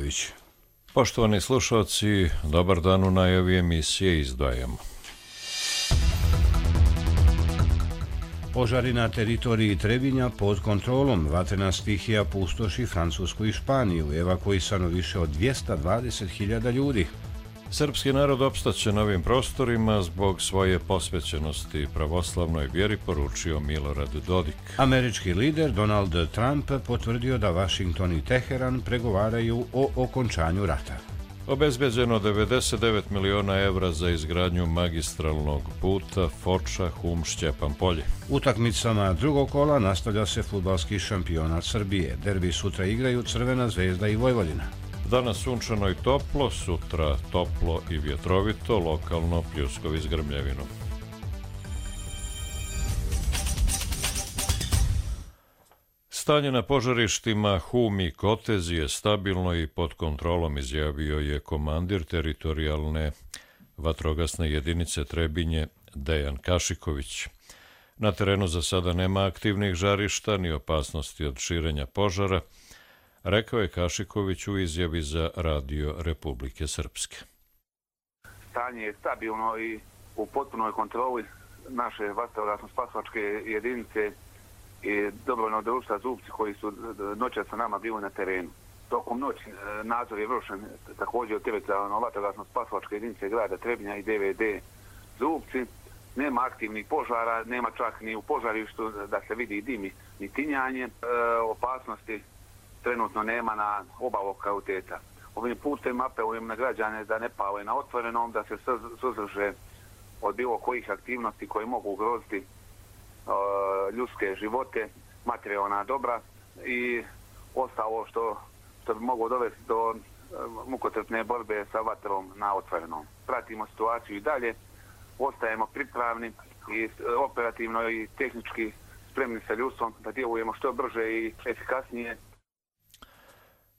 Đorđević. Poštovani slušalci, dobar dan, u najavi emisije izdvajamo. Požari na teritoriji Trebinja pod kontrolom. Vatrena stihija pustoši Francusku i Španiju. Evakuisano više od 220.000 ljudi. Srpski narod opstaće na ovim prostorima zbog svoje posvećenosti pravoslavnoj vjeri, poručio Milorad Dodik. Američki lider Donald Trump potvrdio da Vašington i Teheran pregovaraju o okončanju rata. Obezbeđeno 99 miliona evra za izgradnju magistralnog puta Foča-Hum-Šćepan-Polje. Utakmicama drugog kola nastavlja se fudbalski šampionat Srbije. Derbi sutra igraju Crvena Zvezda i Vojvodina. Danas sunčano i toplo, sutra toplo i vjetrovito, lokalno pljuskovi s grmljavinom. Stanje na požarištima Hum i Kotez je stabilno i pod kontrolom, izjavio je komandir teritorijalne vatrogasne jedinice Trebinje Dejan Kašiković. Na terenu za sada nema aktivnih žarišta ni opasnosti od širenja požara, rekao je Kašiković u izjavi za Radio Republike Srpske. Stanje je stabilno i u potpunoj kontroli naše vatrogasno-spasilačke jedinice i dobrovoljnog društva Zubci koji su noćas sa nama bili na terenu. Tokom noći nadzor je vršen također od teritorijalno vatrogasno-spasilačke jedinice grada Trebinja i DVD Zubci. Nema aktivnih požara, nema čak ni u požarištu da se vidi dim ni tinjanje. Opasnosti trenutno nema na oba lokaliteta. Ovim putem apelujem na građane da ne pale na otvorenom, da se suzdrže od bilo kojih aktivnosti koje mogu ugroziti ljudske živote, materijalna dobra i ostalo što bi moglo dovesti do mukotrpne borbe sa vatrom na otvorenom. Pratimo situaciju i dalje, ostajemo pripravni i operativno i tehnički spremni sa ljudstvom da djelujemo što brže i efikasnije.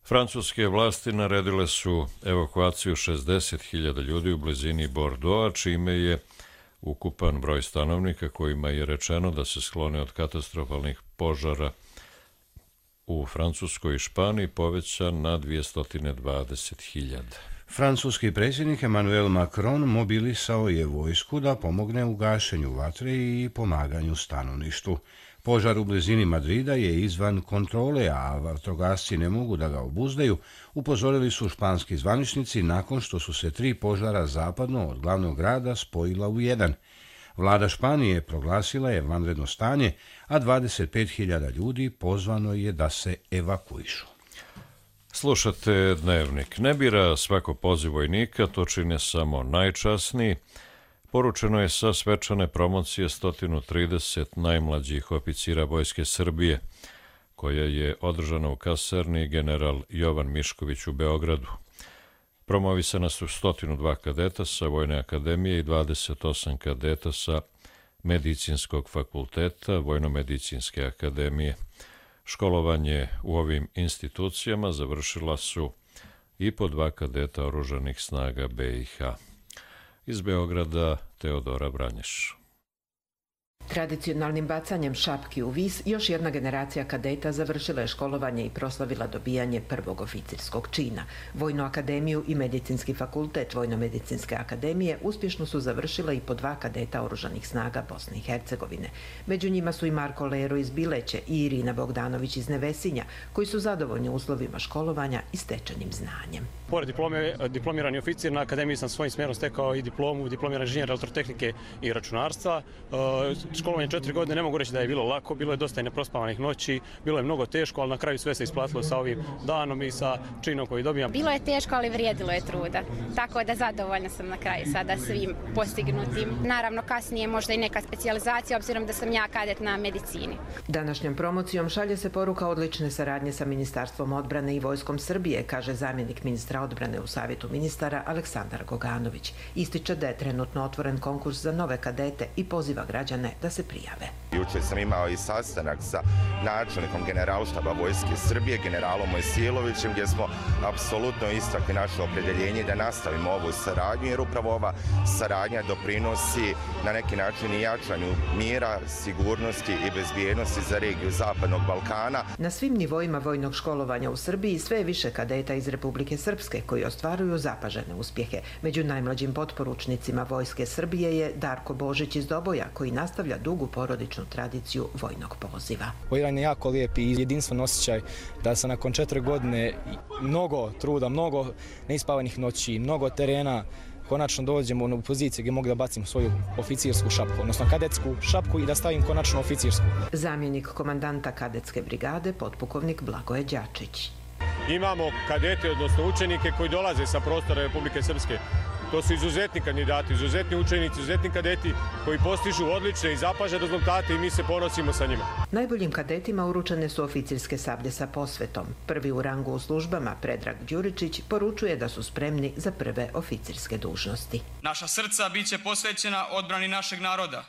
Francuske vlasti naredile su evakuaciju 60.000 ljudi u blizini Bordeauxa, čime je ukupan broj stanovnika kojima je rečeno da se sklone od katastrofalnih požara u Francuskoj i Španiji povećan na 220.000. Francuski predsjednik Emmanuel Macron mobilisao je vojsku da pomogne u gašenju vatre i pomaganju stanovništvu. Požar u blizini Madrida je izvan kontrole, a vatrogasci ne mogu da ga obuzdaju, upozorili su španski zvaničnici nakon što su se 3 požara zapadno od glavnog grada spojila u jedan. Vlada Španije proglasila je vanredno stanje, a 25.000 ljudi pozvano je da se evakuišu. Slušate Dnevnik. Ne bira svako poziv vojnika, to čine samo najčasniji. Poručeno je sa svečane promocije 130 najmlađih oficira Vojske Srbije, koja je održana u kasarni General Jovan Mišković u Beogradu. Promovisana su 102 kadeta sa Vojne akademije i 28 kadeta sa Medicinskog fakulteta Vojno-medicinske akademije. Školovanje u ovim institucijama završila su i po 2 kadeta oružanih snaga BiH. Iz Beograda Teodora Vranješ. Tradicionalnim bacanjem šapki u vis još jedna generacija kadeta završila je školovanje i proslavila dobijanje prvog oficirskog čina. Vojnu akademiju i Medicinski fakultet Vojno-medicinske akademije uspješno su završila i po 2 kadeta oružanih snaga Bosne i Hercegovine. Među njima su i Marko Lero iz Bileće i Irina Bogdanović iz Nevesinja, koji su zadovoljni uslovima školovanja i stečenim znanjem. Pored diplome, diplomirani oficir, na akademiji sam svojim smjerom stekao i diplomu diplomirani inženjer elektrotehnike i računarstva. Školovanje 4 godine ne mogu reći da je bilo lako, bilo je dosta i neprospavanih noći, bilo je mnogo teško, ali na kraju sve se isplatilo sa ovim danom i sa činom koji dobijam. Bilo je teško, ali vrijedilo je truda, tako da zadovoljna sam na kraju sada svim postignutim. Naravno, kasnije možda i neka specijalizacija, obzirom da sam ja kadet na medicini. Današnjom promocijom šalje se poruka odlične saradnje sa Ministarstvom odbrane i Vojskom Srbije, kaže zamjenik ministra odbrane u Savjetu ministara Aleksandar Goganović. Ističe da je trenutno otvoren konkurs za nove kadete i poziva građane da se prijave. Jučer sam imao i sastanak sa načelnikom generalštaba Vojske Srbije, generalom Mojsilovićem, gdje smo apsolutno istakli naše opredjeljenje da nastavimo ovu saradnju, jer upravo ova saradnja doprinosi na neki način i jačanju mira, sigurnosti i bezbjednosti za regiju Zapadnog Balkana. Na svim nivoima vojnog školovanja u Srbiji sve je više kadeta iz Republike Srpske koji ostvaruju zapažene uspjehe. Među najmlađim potporučnicima Vojske Srbije je Darko Božić iz Doboja, koji nastavlja dugu porodičnu tradiciju vojnog poziva. Jedan je jako lijep i jedinstven osjećaj da se nakon 4 godine mnogo truda, mnogo neispavanih noći, mnogo terena, konačno dođemo u poziciju gdje mogu da bacim svoju oficirsku šapku, odnosno kadetsku šapku i da stavim konačno oficirsku. Zamjenik komandanta kadetske brigade, potpukovnik Blagoje Đačić. Imamo kadete, odnosno učenike koji dolaze sa prostora Republike Srpske. To su izuzetni kandidati, izuzetni učenici, izuzetni kadeti koji postižu odlične i zapažene rezultate i mi se ponosimo sa njima. Najboljim kadetima uručene su oficirske sablje sa posvetom. Prvi u rangu u službama, Predrag Đuričić, poručuje da su spremni za prve oficirske dužnosti. Naša srca bit će posvećena odbrani našeg naroda.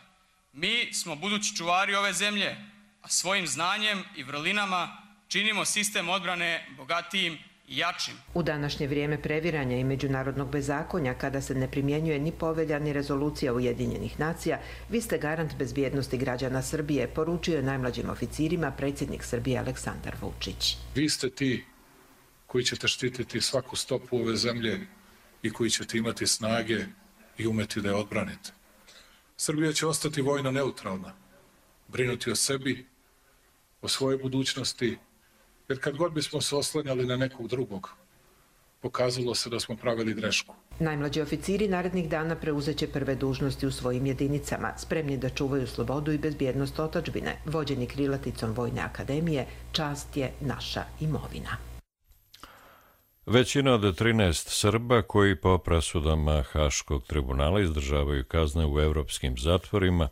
Mi smo budući čuvari ove zemlje, a svojim znanjem i vrlinama činimo sistem odbrane bogatijim i jačim. U današnje vrijeme previranja i međunarodnog bezakonja, kada se ne primjenjuje ni povelja ni rezolucija Ujedinjenih nacija, vi ste garant bezbjednosti građana Srbije, poručio je najmlađim oficirima predsjednik Srbije Aleksandar Vučić. Vi ste ti koji ćete štititi svaku stopu ove zemlje i koji ćete imati snage i umeti da je odbranite. Srbija će ostati vojno neutralna, brinuti o sebi, o svojoj budućnosti, jer kad god bismo se oslanjali na nekog drugog, pokazalo se da smo pravili grešku. Najmlađi oficiri narednih dana preuzeće prve dužnosti u svojim jedinicama, spremni da čuvaju slobodu i bezbjednost otadžbine, vođeni krilaticom Vojne akademije, čast je naša imovina. Većina od 13 Srba koji po presudama Haškog tribunala izdržavaju kazne u evropskim zatvorima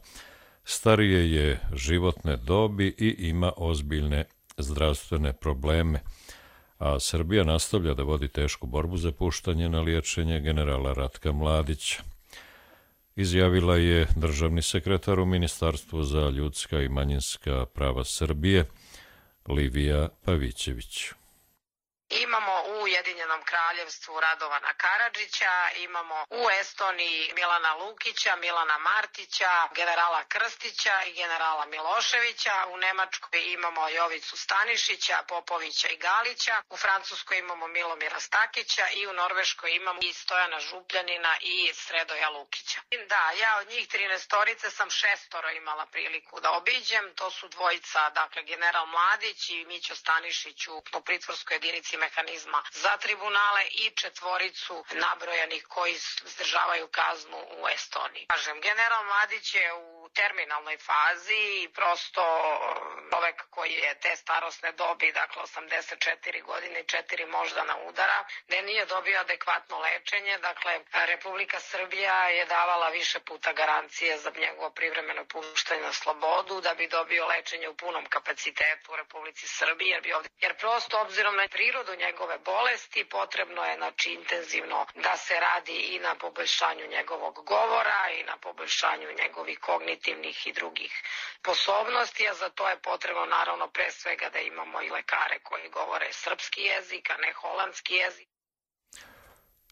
starije je životne dobi i ima ozbiljne zdravstvene probleme, a Srbija nastavlja da vodi tešku borbu za puštanje na liječenje generala Ratka Mladića. Izjavila je državni sekretar u Ministarstvu za ljudska i manjinska prava Srbije, Livija Pavićević. Imamo u Ujedinjenom kraljevstvu Radovana Karadžića, imamo u Estoniji Milana Lukića, Milana Martića, generala Krstića i generala Miloševića, u Nemačkoj imamo Jovicu Stanišića, Popovića i Galića, u Francuskoj imamo Milomira Stakića i u Norveškoj imamo i Stojana Župljanina i Sredoja Lukića. Da, ja od njih 13 sam 6 imala priliku da obiđem, to su dvojica, dakle general Mladić i Mićo Stanišić u pritvorskoj jedinici mehanizma za tribunale i 4 nabrojanih koji izdržavaju kaznu u Estoniji. Kažem, general Mladić je u terminalnoj fazi i prosto čovek koji je te starosne dobi, dakle 84 godine i 4 moždana udara, da nije dobio adekvatno lečenje. Dakle, Republika Srbija je davala više puta garancije za njegovo privremeno puštanje na slobodu da bi dobio lečenje u punom kapacitetu u Republici Srbiji, jer prosto obzirom na prirodu njegove bolesti potrebno je intenzivno da se radi i na poboljšanju njegovog govora i na poboljšanju njegovih kognitivnih i drugih sposobnosti, a za to je potrebno naravno pre svega da imamo i lekare koji govore srpski jezik, a ne holandski jezik.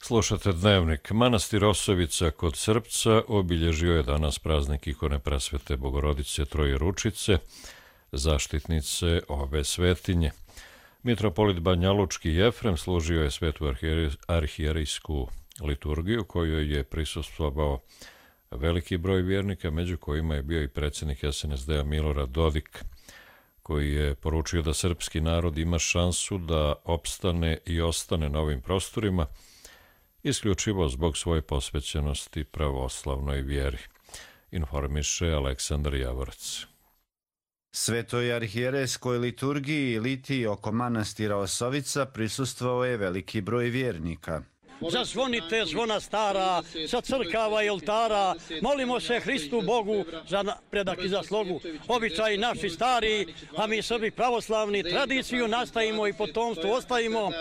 Slušate Dnevnik. Manastir Osovica kod Srpca obilježio je danas praznik ikone Presvete Bogorodice Trojeručice, zaštitnice ove svetinje. Mitropolit Banjalučki Jefrem služio je svetu arhijerejsku liturgiju kojoj je prisustvovao veliki broj vjernika, među kojima je bio i predsjednik SNSD-a Milorad Dodik, koji je poručio da srpski narod ima šansu da opstane i ostane na ovim prostorima isključivo zbog svoje posvećenosti pravoslavnoj vjeri, informiše Aleksandar Javorac. Svetoj arhijerejskoj liturgiji Litiji oko manastira Osovica prisustvovao je veliki broj vjernika. Zazvonite zvona stara, sa crkava i oltara, molimo se Hristu Bogu za napredak i za slogu. Običaji naši stari, a mi Srbi pravoslavni, tradiciju nastavimo i potomstvu ostavimo.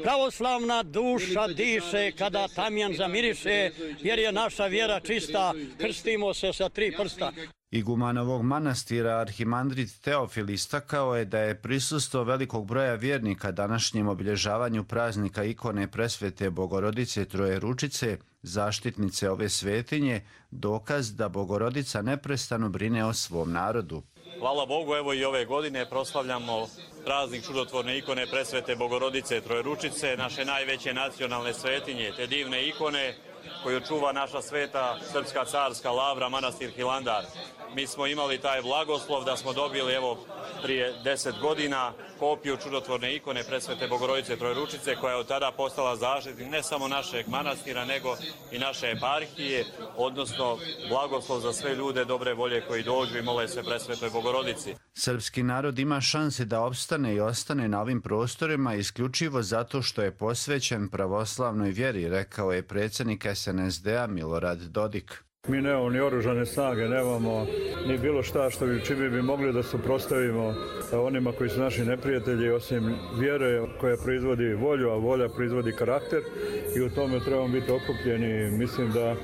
Pravoslavna duša diše kada tamjan zamiriše, jer je naša vjera čista, krstimo se sa 3 prsta. Igumanovog manastira arhimandrit Teofil istakao je da je prisustvo velikog broja vjernika današnjem obilježavanju praznika ikone Presvete Bogorodice Trojeručice, zaštitnice ove svetinje, dokaz da Bogorodica neprestano brine o svom narodu. Hvala Bogu, evo i ove godine proslavljamo praznik čudotvorne ikone Presvete Bogorodice Trojeručice, naše najveće nacionalne svetinje, te divne ikone koju čuva naša sveta srpska carska lavra, manastir Hilandar. Mi smo imali taj blagoslov da smo dobili evo prije 10 godina kopiju čudotvorne ikone Presvete Bogorodice Trojeručice koja je od tada postala zaštitnik ne samo našeg manastira nego i naše eparhije, odnosno blagoslov za sve ljude dobre volje koji dođu i mole se Presvetoj Bogorodici. Srpski narod ima šanse da opstane i ostane na ovim prostorima isključivo zato što je posvećen pravoslavnoj vjeri, rekao je predsjednik SNSD-a Milorad Dodik. Mi nemamo ni oružane snage, nemamo ni bilo šta čime bi mogli da suprotstavimo onima koji su naši neprijatelji, osim vjere koja proizvodi volju, a volja proizvodi karakter i u tome trebamo biti okupljeni. Mislim da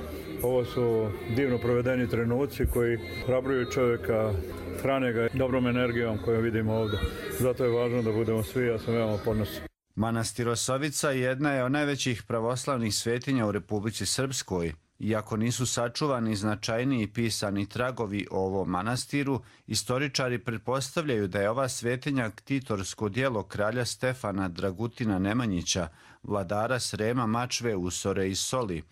ovo su divno provedeni trenuci koji hrabruju čovjeka, hrane ga dobrom energijom koju vidimo ovdje. Zato je važno da budemo svi, ja sam veoma ponosan. Manastir Osovica jedna je od najvećih pravoslavnih svetinja u Republici Srpskoj. Iako nisu sačuvani značajniji pisani tragovi o ovom manastiru, istoričari pretpostavljaju da je ova svetinja ktitorsko djelo kralja Stefana Dragutina Nemanjića, vladara Srema, Mačve, Usore i Soli.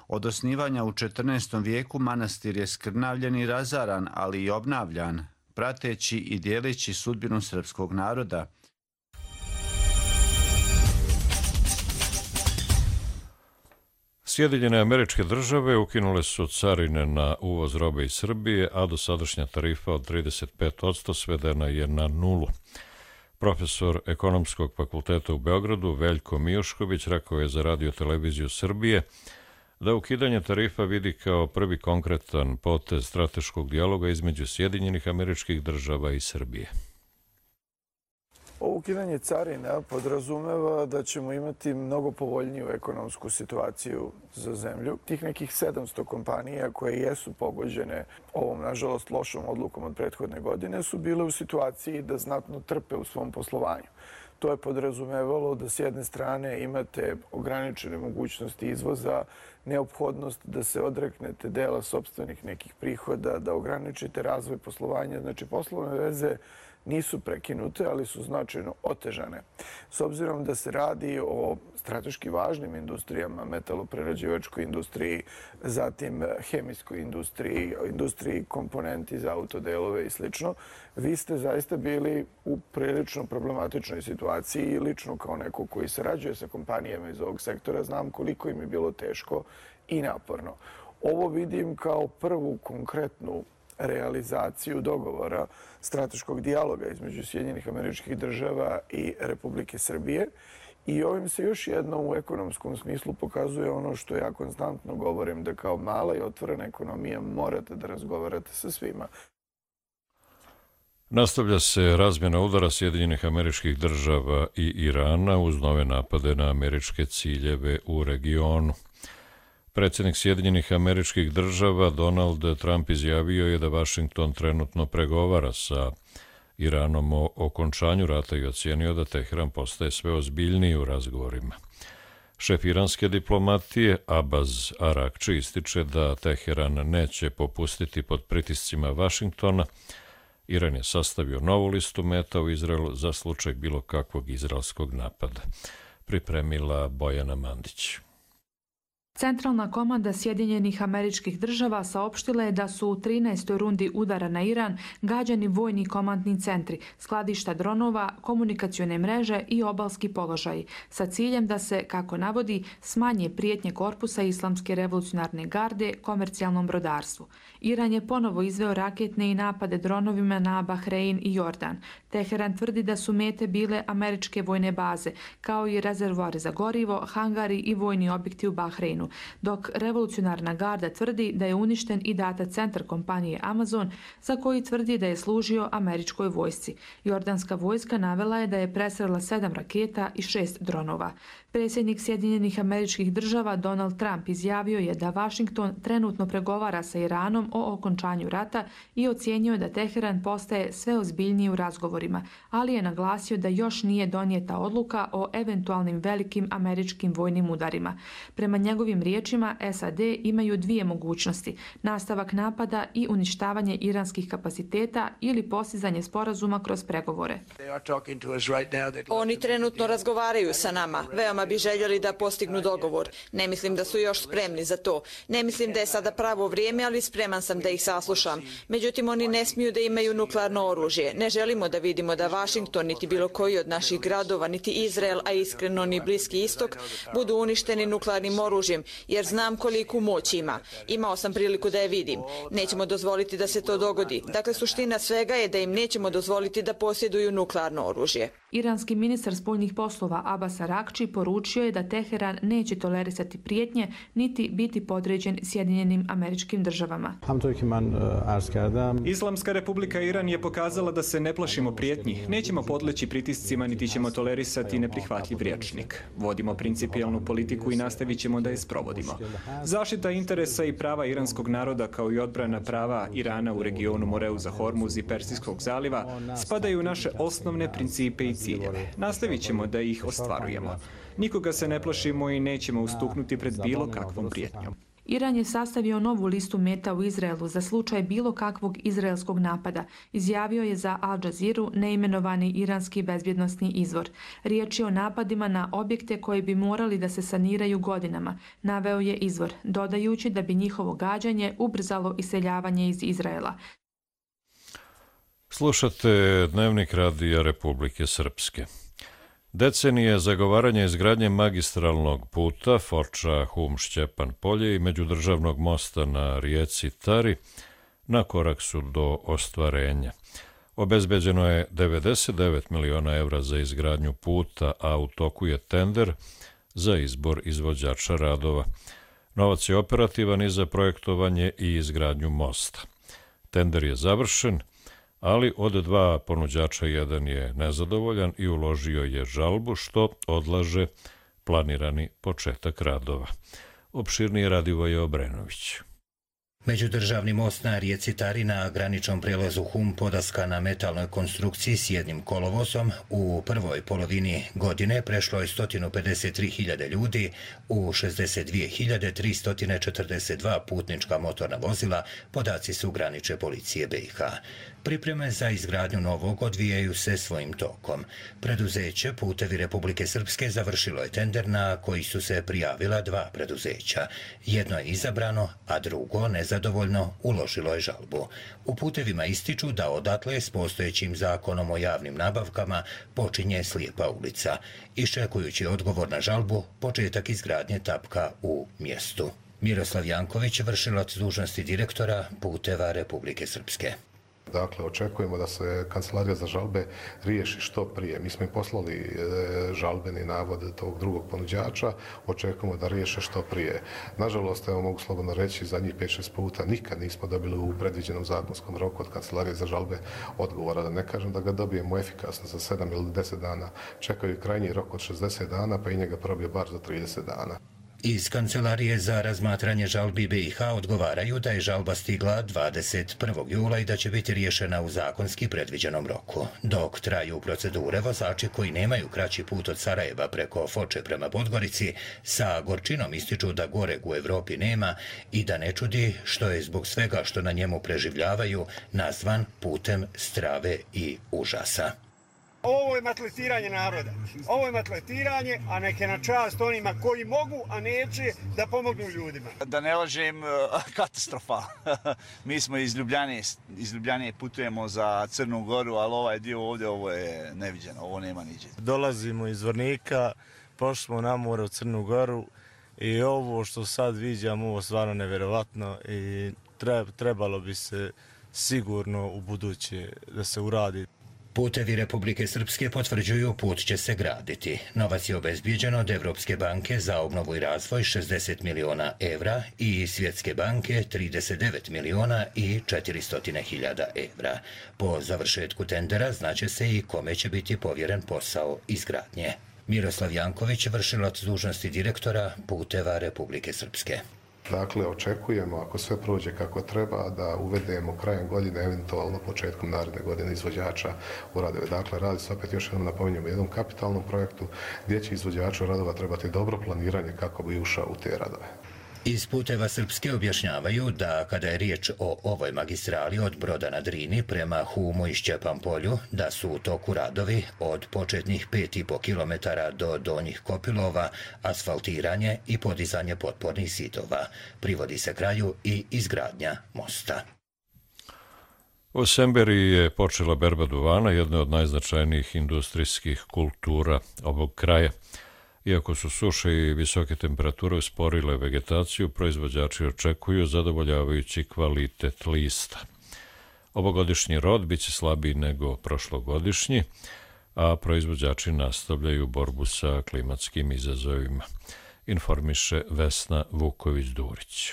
Od osnivanja u 14. vijeku manastir je skrnavljen i razaran, ali i obnavljan, prateći i dijeleći sudbinu srpskog naroda. Sjedinjene Američke Države ukinule su carine na uvoz robe iz Srbije, a dosadašnja tarifa od 35% svedena je na nulu. Profesor Ekonomskog fakulteta u Beogradu Veljko Mijušković rekao je za Radio televiziju Srbije da ukidanje tarifa vidi kao prvi konkretan potez strateškog dijaloga između Sjedinjenih Američkih Država i Srbije. Ovo ukidanje carina podrazumeva da ćemo imati mnogo povoljniju ekonomsku situaciju za zemlju. Tih nekih 700 kompanija koje jesu pogođene ovom, nažalost, lošom odlukom od prethodne godine su bile u situaciji da znatno trpe u svom poslovanju. To je podrazumevalo da s jedne strane imate ograničene mogućnosti izvoza, neophodnost da se odreknete dela sopstvenih nekih prihoda, da ograničite razvoj poslovanja. Znači, poslovne veze nisu prekinute, ali su značajno otežane. S obzirom da se radi o strateški važnim industrijama, metaloprerađivačkoj industriji, zatim hemijskoj industriji, industriji komponenti za autodelove i sl. Vi ste zaista bili u prilično problematičnoj situaciji i lično kao neko koji sarađuje sa kompanijama iz ovog sektora znam koliko im je bilo teško i naporno. Ovo vidim kao prvu konkretnu realizaciju dogovora strateškog dijaloga između Sjedinjenih Američkih Država i Republike Srbije i ovim se još jednom u ekonomskom smislu pokazuje ono što ja konstantno govorim, da kao mala i otvorena ekonomija morate da razgovarate sa svima. Nastavlja se razmjena udara Sjedinjenih Američkih Država i Irana uz nove napade na američke ciljeve u regionu. Predsjednik Sjedinjenih Američkih Država Donald Trump izjavio je da Vašington trenutno pregovara sa Iranom o okončanju rata i ocijenio da Teheran postaje sve ozbiljniji u razgovorima. Šef iranske diplomatije Abbas Arakči ističe da Teheran neće popustiti pod pritiscima Vašingtona. Iran je sastavio novu listu meta u Izraelu za slučaj bilo kakvog izraelskog napada. Pripremila Bojana Mandić. Centralna komanda Sjedinjenih Američkih Država saopštila je da su u 13. rundi udara na Iran gađani vojni komandni centri, skladišta dronova, komunikacione mreže i obalski položaji, sa ciljem da se, kako navodi, smanje prijetnje korpusa Islamske revolucionarne garde komercijalnom brodarstvu. Iran je ponovo izveo raketne i napade dronovima na Bahrein i Jordan. Teheran tvrdi da su mete bile američke vojne baze, kao i rezervoari za gorivo, hangari i vojni objekti u Bahreinu, Iranu, dok revolucionarna garda tvrdi da je uništen i data centar kompanije Amazon, za koji tvrdi da je služio američkoj vojsci. Jordanska vojska navela je da je presrela 7 raketa i 6 dronova. Predsjednik Sjedinjenih Američkih Država Donald Trump izjavio je da Washington trenutno pregovara sa Iranom o okončanju rata i ocjenjuje da Teheran postaje sve ozbiljniji u razgovorima, ali je naglasio da još nije donijeta odluka o eventualnim velikim američkim vojnim udarima. Prema njegovim riječima, SAD imaju dvije mogućnosti: nastavak napada i uništavanje iranskih kapaciteta ili postizanje sporazuma kroz pregovore. Oni trenutno razgovaraju sa nama. Veoma bi željeli da postignu dogovor. Ne mislim da su još spremni za to. Ne mislim da je sada pravo vrijeme, ali spreman sam da ih saslušam. Međutim, oni ne smiju da imaju nuklearno oružje. Ne želimo da vidimo da Washington, niti bilo koji od naših gradova, niti Izrael, a iskreno ni Bliski istok, budu uništeni nuklearnim oružjem, jer znam koliku moć ima. Imao sam priliku da je vidim. Nećemo dozvoliti da se to dogodi. Dakle, suština svega je da im nećemo dozvoliti da posjeduju nuklearno oružje. Iranski ministar spoljnih poslova Abbas Arakči poručio je da Teheran neće tolerisati prijetnje niti biti podređen Sjedinjenim Američkim Državama. Islamska republika Iran je pokazala da se ne plašimo prijetnji, nećemo podleći pritiscima niti ćemo tolerisati neprihvatljiv rječnik. Vodimo principijelnu politiku i nastavit ćemo da je sprovodimo. Zaštita interesa i prava iranskog naroda kao i odbrana prava Irana u regionu Moreuza Hormuz i Persijskog zaliva spadaju u naše osnovne principe i ciljeve. Nastavit ćemo da ih ostvarujemo. Nikoga se ne plašimo i nećemo ustuknuti pred bilo kakvom prijetnjom. Iran je sastavio novu listu meta u Izraelu za slučaj bilo kakvog izraelskog napada, izjavio je za Al Jazeera neimenovani iranski bezbjednosni izvor. Riječ je o napadima na objekte koji bi morali da se saniraju godinama, naveo je izvor, dodajući da bi njihovo gađanje ubrzalo iseljavanje iz Izraela. Slušate Dnevnik Radija Republike Srpske. Decenije zagovaranja izgradnje magistralnog puta Foča-Hum-Šćepan-Polje i međudržavnog mosta na rijeci Tari na korak su do ostvarenja. Obezbeđeno je 99 miliona evra za izgradnju puta, a u toku je tender za izbor izvođača radova. Novac je operativan i za projektovanje i izgradnju mosta. Tender je završen, ali od dva ponuđača jedan je nezadovoljan i uložio je žalbu, što odlaže planirani početak radova. Opširnije Radivoje Obrenović. Međudržavni most na rijeci Tari na graničnom prijelazu Hum podaska na metalnoj konstrukciji s jednim kolovozom u prvoj polovini godine prešlo je 153.000 ljudi u 62.342 putnička motorna vozila, podaci su granične policije BiH. Pripreme za izgradnju novog odvijaju se svojim tokom. Preduzeće Putevi Republike Srpske završilo je tender na koji su se prijavila dva preduzeća. Jedno je izabrano, a drugo nezadovoljno uložilo je žalbu. U Putevima ističu da odatle s postojećim zakonom o javnim nabavkama počinje slijepa ulica. Iščekujući odgovor na žalbu, početak izgradnje tapka u mjestu. Miroslav Janković, vršilac dužnosti direktora Puteva Republike Srpske. Dakle, očekujemo da se Kancelarija za žalbe riješi što prije. Mi smo im poslali žalbeni navod tog drugog ponuđača, očekujemo da riješe što prije. Nažalost, evo mogu slobodno reći, zadnjih 5-6 puta nikad nismo dobili u predviđenom zakonskom roku od Kancelarije za žalbe odgovora. Da ne kažem da ga dobijemo efikasno za 7 ili 10 dana. Čekaju krajnji rok od 60 dana, pa i njega probije bar za 30 dana. Iz Kancelarije za razmatranje žalbi BiH odgovaraju da je žalba stigla 21. jula i da će biti riješena u zakonski predviđenom roku. Dok traju procedure, vozači koji nemaju kraći put od Sarajeva preko Foče prema Podgorici sa gorčinom ističu da goreg u Evropi nema i da ne čudi što je zbog svega što na njemu preživljavaju nazvan putem strave i užasa. Ovo je matletiranje naroda. Ovo je matletiranje, a neke na čast onima koji mogu, a neće da pomognu ljudima. Da ne lažem, katastrofa. Mi smo iz Ljubljane putujemo za Crnu Goru, ali ovaj dio ovdje, ovo je neviđeno, ovo nema niđe. Dolazimo iz Zvornika, pošli smo na more u Crnu Goru i ovo što sad viđamo, ovo stvarno nevjerovatno i trebalo bi se sigurno u buduće da se uradi. Putevi Republike Srpske potvrđuju put će se graditi. Novac je obezbijeđen od Evropske banke za obnovu i razvoj 60 miliona evra i Svjetske banke 39 miliona i 400.000 evra. Po završetku tendera znaće se i kome će biti povjeren posao izgradnje. Miroslav Janković, vršilac dužnosti direktora Puteva Republike Srpske. Dakle, očekujemo, ako sve prođe kako treba, da uvedemo krajem godine, eventualno početkom naredne godine izvođača u radove. Dakle, radi se opet još jednom napominjamo jednom kapitalnom projektu gdje će izvođaču radova trebati dobro planiranje kako bi ušao u te radove. Iz Puteva Srpske objašnjavaju da kada je riječ o ovoj magistrali od Broda na Drini prema Humu i Šćepan polju, da su u toku radovi od početnih 5,5 km do Donjih Kopilova, asfaltiranje i podizanje potpornih zidova. Privodi se kraju i izgradnja mosta. U Semberiji je počela berba duvana, jedna od najznačajnijih industrijskih kultura ovog kraja. Iako su suše i visoke temperature usporile vegetaciju, proizvođači očekuju zadovoljavajući kvalitet lista. Ovogodišnji rod biće slabiji nego prošlogodišnji, a proizvođači nastavljaju borbu sa klimatskim izazovima, informiše Vesna Vuković-Durić.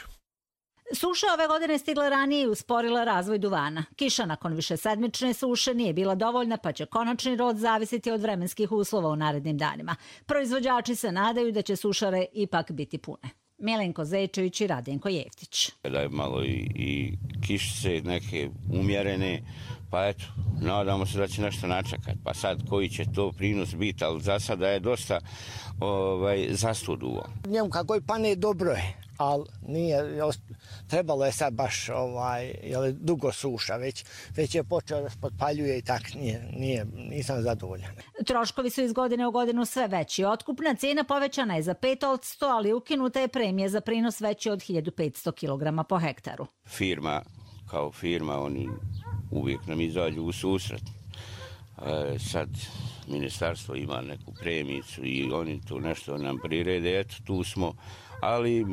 Suša ove godine stigla ranije i usporila razvoj duvana. Kiša nakon višesedmične suše nije bila dovoljna, pa će konačni rod zavisiti od vremenskih uslova u narednim danima. Proizvođači se nadaju da će sušare ipak biti pune. Milenko Zečević i Radenko Jeftić. Da je malo i kišice neke umjerene, pa eto, nadamo se da će nešto načekati. Pa sad koji će to prinos biti, ali za sada je dosta zastuduo. Njemu kako je pane dobro je, ali nije, trebalo je sad baš dugo suša, već je počeo da se potpaljuje i tak nisam zadovoljan. Troškovi su iz godine u godinu sve veći. Otkupna cijena povećana je za 5%, ali ukinuta je premija za prinos veći od 1500 kg po hektaru. Firma kao firma, oni uvijek nam izađu u susret. Sad ministarstvo ima neku premijicu i oni tu nešto nam prirede, eto tu smo, ali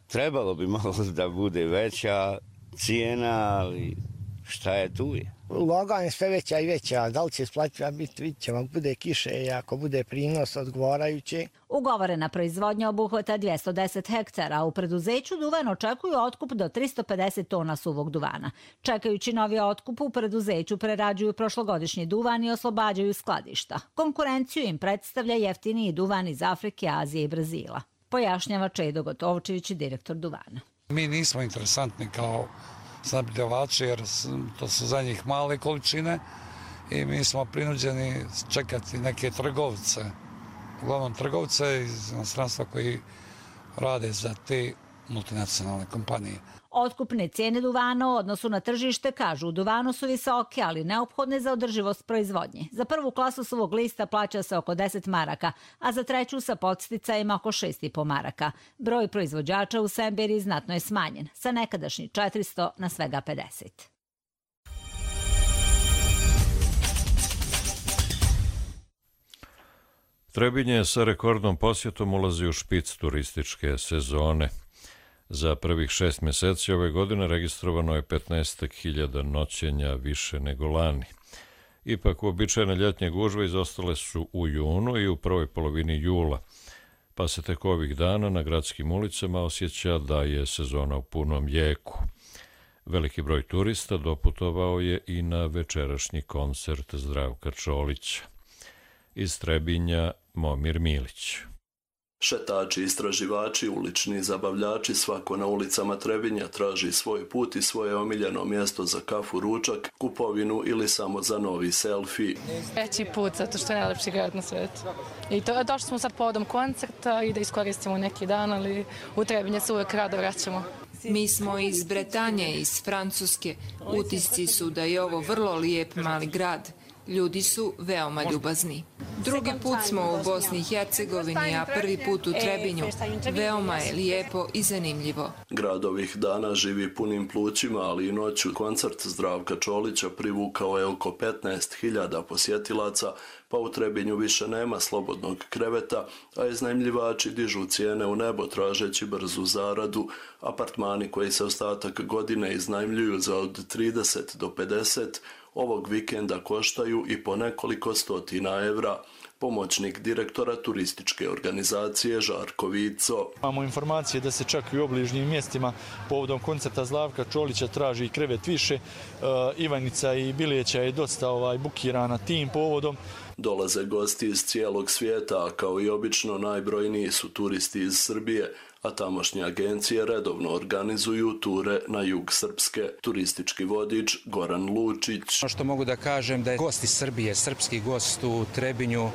trebalo bi malo da bude veća cijena, ali šta je tu je. Ulaganje sve veća i veća, da li će isplativa biti, vidit ćemo, ako bude kiše i ako bude prinos odgovarajući. Ugovorena proizvodnja obuhvata 210 hektara, a u preduzeću Duvan očekuju otkup do 350 tona suvog duvana. Čekajući novi otkup, u preduzeću prerađuju prošlogodišnji duvan i oslobađaju skladišta. Konkurenciju im predstavlja jeftiniji duvan iz Afrike, Azije i Brazila. Pojašnjava Čedo Gotovčević, direktor Duvana. Mi nismo interesantni kao snabdjevači jer to su za njih male količine i mi smo prinuđeni čekati neke trgovce, uglavnom trgovce iz inostranstva koji rade za te multinacionalne kompanije. Otkupne cijene duvana u odnosu na tržište, kažu, u duvanu su visoke, ali neophodne za održivost proizvodnje. Za prvu klasu suvog lista plaća se oko 10 maraka, a za treću sa podsticajima oko 6,5 maraka. Broj proizvođača u Semberiji znatno je smanjen, sa nekadašnjih 400 na svega 50. Trebinje sa rekordnom posjetom ulazi u špic turističke sezone. Za prvih 6 mjeseci ove godine registrovano je 15.000 noćenja više nego lani. Ipak uobičajene ljetnje gužve izostale su u junu i u prvoj polovini jula, pa se tek ovih dana na gradskim ulicama osjeća da je sezona u punom jeku. Veliki broj turista doputovao je i na večerašnji koncert Zdravka Čolića. Iz Trebinja Momir Milić. Šetači, istraživači, ulični zabavljači, svako na ulicama Trebinja traži svoj put i svoje omiljeno mjesto za kafu, ručak, kupovinu ili samo za novi selfie. Veći put, zato što je najlepši grad na svijetu. I došli smo sad povodom koncerta i da iskoristimo neki dan, ali u Trebinje se uvijek rado vraćamo. Mi smo iz Bretanje, iz Francuske. Utisci su da je ovo vrlo lijep mali grad. Ljudi su veoma ljubazni. Drugi put smo u Bosni i Hercegovini, a prvi put u Trebinju. Veoma je lijepo i zanimljivo. Grad ovih dana živi punim plućima, ali i noću. Koncert Zdravka Čolića privukao je oko 15.000 posjetilaca, pa u Trebinju više nema slobodnog kreveta, a iznajmljivači dižu cijene u nebo tražeći brzu zaradu. Apartmani koji se ostatak godine iznajmljuju za od 30 do 50, ovog vikenda koštaju i po nekoliko stotina evra. Pomoćnik direktora turističke organizacije Žarko Vico. Imamo informacije da se čak i u obližnjim mjestima povodom koncerta Zdravka Čolića traži krevet više. Ivanica i Biljeća je dosta bukirana tim povodom. Dolaze gosti iz cijelog svijeta, a kao i obično najbrojniji su turisti iz Srbije, a tamošnje agencije redovno organizuju ture na jug Srpske. Turistički vodič Goran Lučić. Ono što mogu da kažem da je gost iz Srbije, srpski gost u Trebinju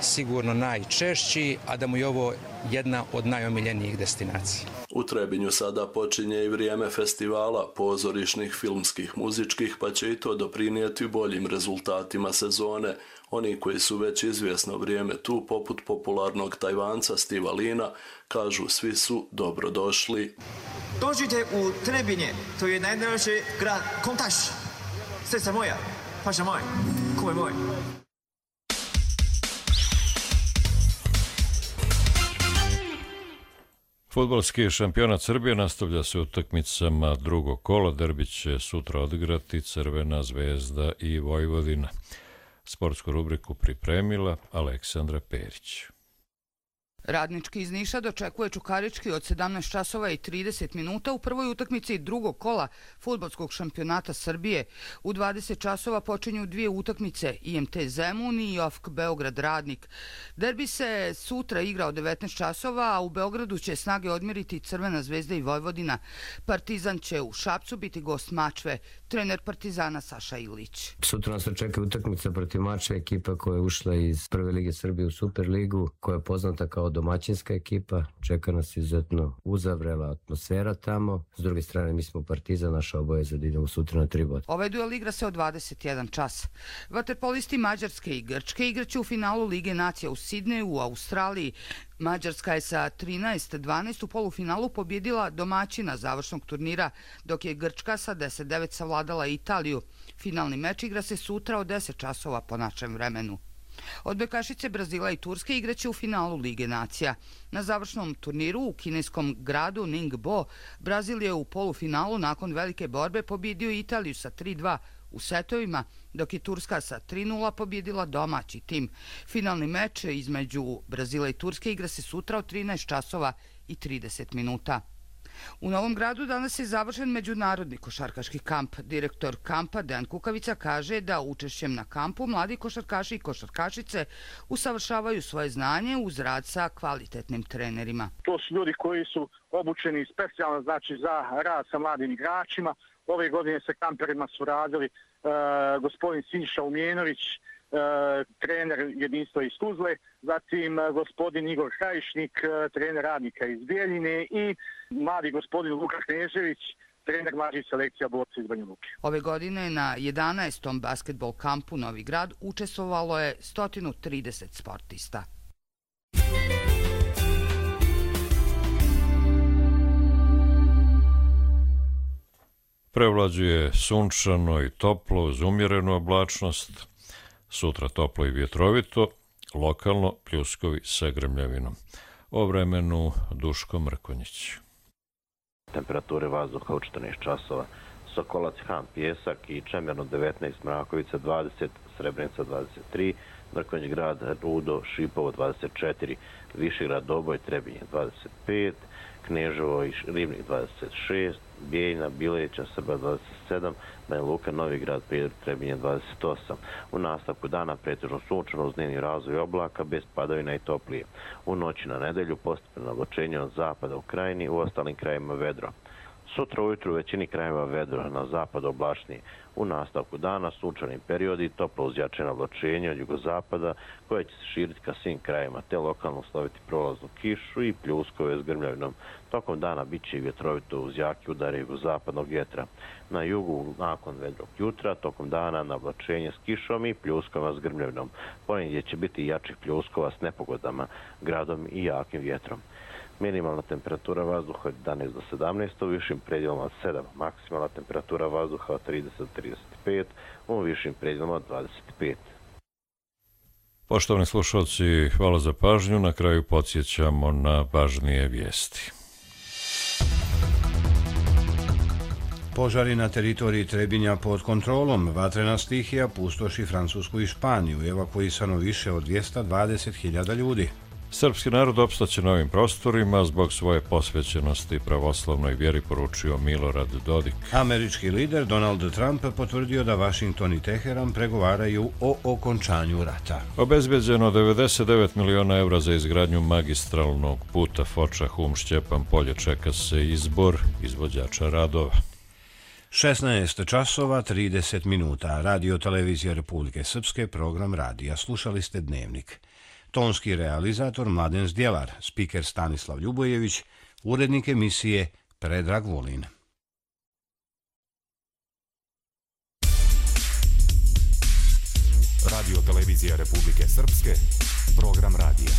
sigurno najčešći, a da mu je ovo jedna od najomiljenijih destinacija. U Trebinju sada počinje i vrijeme festivala pozorišnih, filmskih, muzičkih, pa će i to doprinijeti boljim rezultatima sezone. Oni koji su već izvjesno vrijeme tu, poput popularnog Tajvanca Stiva Lina, kažu svi su dobrodošli. Dođite u Trebinje, to je najdraži grad Kontaš. Srce moja, paša moj, ko je moj. Fudbalski šampionat Srbije nastavlja se utakmicama drugog kola. Derbi će sutra odigrati Crvena Zvezda i Vojvodina. Sportsku rubriku pripremila Aleksandra Perić. Radnički iz Niša dočekuje Čukarički od 17 časova i 30 minuta u prvoj utakmici drugog kola fudbalskog šampionata Srbije. U 20 časova počinju dvije utakmice, IMT Zemun i OFK Beograd Radnik. Derbi se sutra igra od 19 časova, a u Beogradu će snage odmjeriti Crvena Zvezda i Vojvodina. Partizan će u Šapcu biti gost Mačve. Trener Partizana Saša Ilić. Sutra nas očekuje utakmica protiv Mačve, ekipa koja je ušla iz Prve lige Srbije u Superligu, koja je poznata kao domaćinska ekipa. Čeka nas izuzetno uzavrela atmosfera tamo. S druge strane, mi smo Partizan, naša obaveza da idemo sutra na 3 boda. Ovaj duel igra se od 21 čas. Vaterpolisti Mađarske i Grčke igraće u finalu Lige nacija u Sidneju u Australiji. Mađarska je sa 13-12 u polufinalu pobjedila domaćina završnog turnira, dok je Grčka sa 10-9 savladala Italiju. Finalni meč igra se sutra od 10 časova po našem vremenu. Odbojkašice Brazila i Turske igraće u finalu Lige nacija. Na završnom turniru u kineskom gradu Ningbo, Brazil je u polufinalu nakon velike borbe pobjedio Italiju sa 3-2 u setovima, dok je Turska sa 3-0 pobjedila domaći tim. Finalni meč između Brazila i Turske igra se sutra od 13 časova i 30 minuta. U Novom Gradu danas je završen međunarodni košarkaški kamp. Direktor kampa Dejan Kukavica kaže da učešćem na kampu mladi košarkaši i košarkašice usavršavaju svoje znanje uz rad sa kvalitetnim trenerima. To su ljudi koji su obučeni specijalno za rad sa mladim igračima. Ove godine sa kamperima su radili gospodin Siniša Umjenović, trener jedinstva iz Tuzle, zatim gospodin Igor Krajišnik, trener Radnika iz Bijeljine i mladi gospodin Luka Knežević, trener mlađih selekcija borca iz Banja Luke. Ove godine na 11. basketbol kampu Novi Grad učestvovalo je 130 sportista. Prevlađuje sunčano i toplo uz umjerenu oblačnost. Sutra toplo i vjetrovito, lokalno pljuskovi sa grmljavinom. O vremenu Duško Mrkonjić. Temperature vazduha u 14 časova. Sokolac, Han, Pjesak i Čemerno 19, Mrakovica 20, Srebrenica 23, Mrkonjić grad, Rudo, Šipovo 24, Višegrad, Doboj, Trebinje 25, Kneževo i Ribnik 26, Bijeljina, Bileća, Srba 27, Banja Luka, Novi Grad, Prijedor, Trebinje 28. U nastavku dana pretežno sunčano uz dnevni razvoj oblaka bez padavina i toplije. U noći na nedelju postepeno oblačenje od zapada u krajini, u ostalim krajima vedro. Sutra ujutru u većini krajeva vedro, na zapadu oblačnije. U nastavku dana sunčani periodi, toplo uzjačeno oblačenje od jugozapada koje će se širiti ka svim krajima, te lokalno sloviti prolaznu kišu i pljuskove s grmljavinom. Tokom dana bit će i vjetrovito uz jaki udare jugozapadnog vjetra. Na jugu nakon vedrog jutra, tokom dana na oblačenje s kišom i pljuskovima s grmljavinom. Ponedjeljak će biti jačih pljuskova s nepogodama, gradom i jakim vjetrom. Minimalna temperatura vazduha od 11 do 17, u višim predjelima od 7, maksimalna temperatura vazduha od 30 do 35, u višim predjelima od 25. Poštovani slušalci, hvala za pažnju. Na kraju podsjećamo na važnije vijesti. Požari na teritoriji Trebinja pod kontrolom. Vatrena stihija pustoši Francusku i Španiju. Evakuisano više od 220.000 ljudi. Srpski narod opstaće na ovim prostorima zbog svoje posvećenosti pravoslavnoj vjeri, poručio Milorad Dodik. Američki lider Donald Trump potvrdio da Vašington i Teheran pregovaraju o okončanju rata. Obezbeđeno 99 miliona evra za izgradnju magistralnog puta Foča-Hum-Šćepan Polje, čeka se izbor izvođača radova. 16 časova 30 minuta. Radio Televizija Republike Srpske, program radija. Slušali ste Dnevnik. Tonski realizator Mladen Zdjelar, spiker Stanislav Ljubojević, urednik emisije Predrag Vulin. Radio Televizija Republike Srpske, program radija.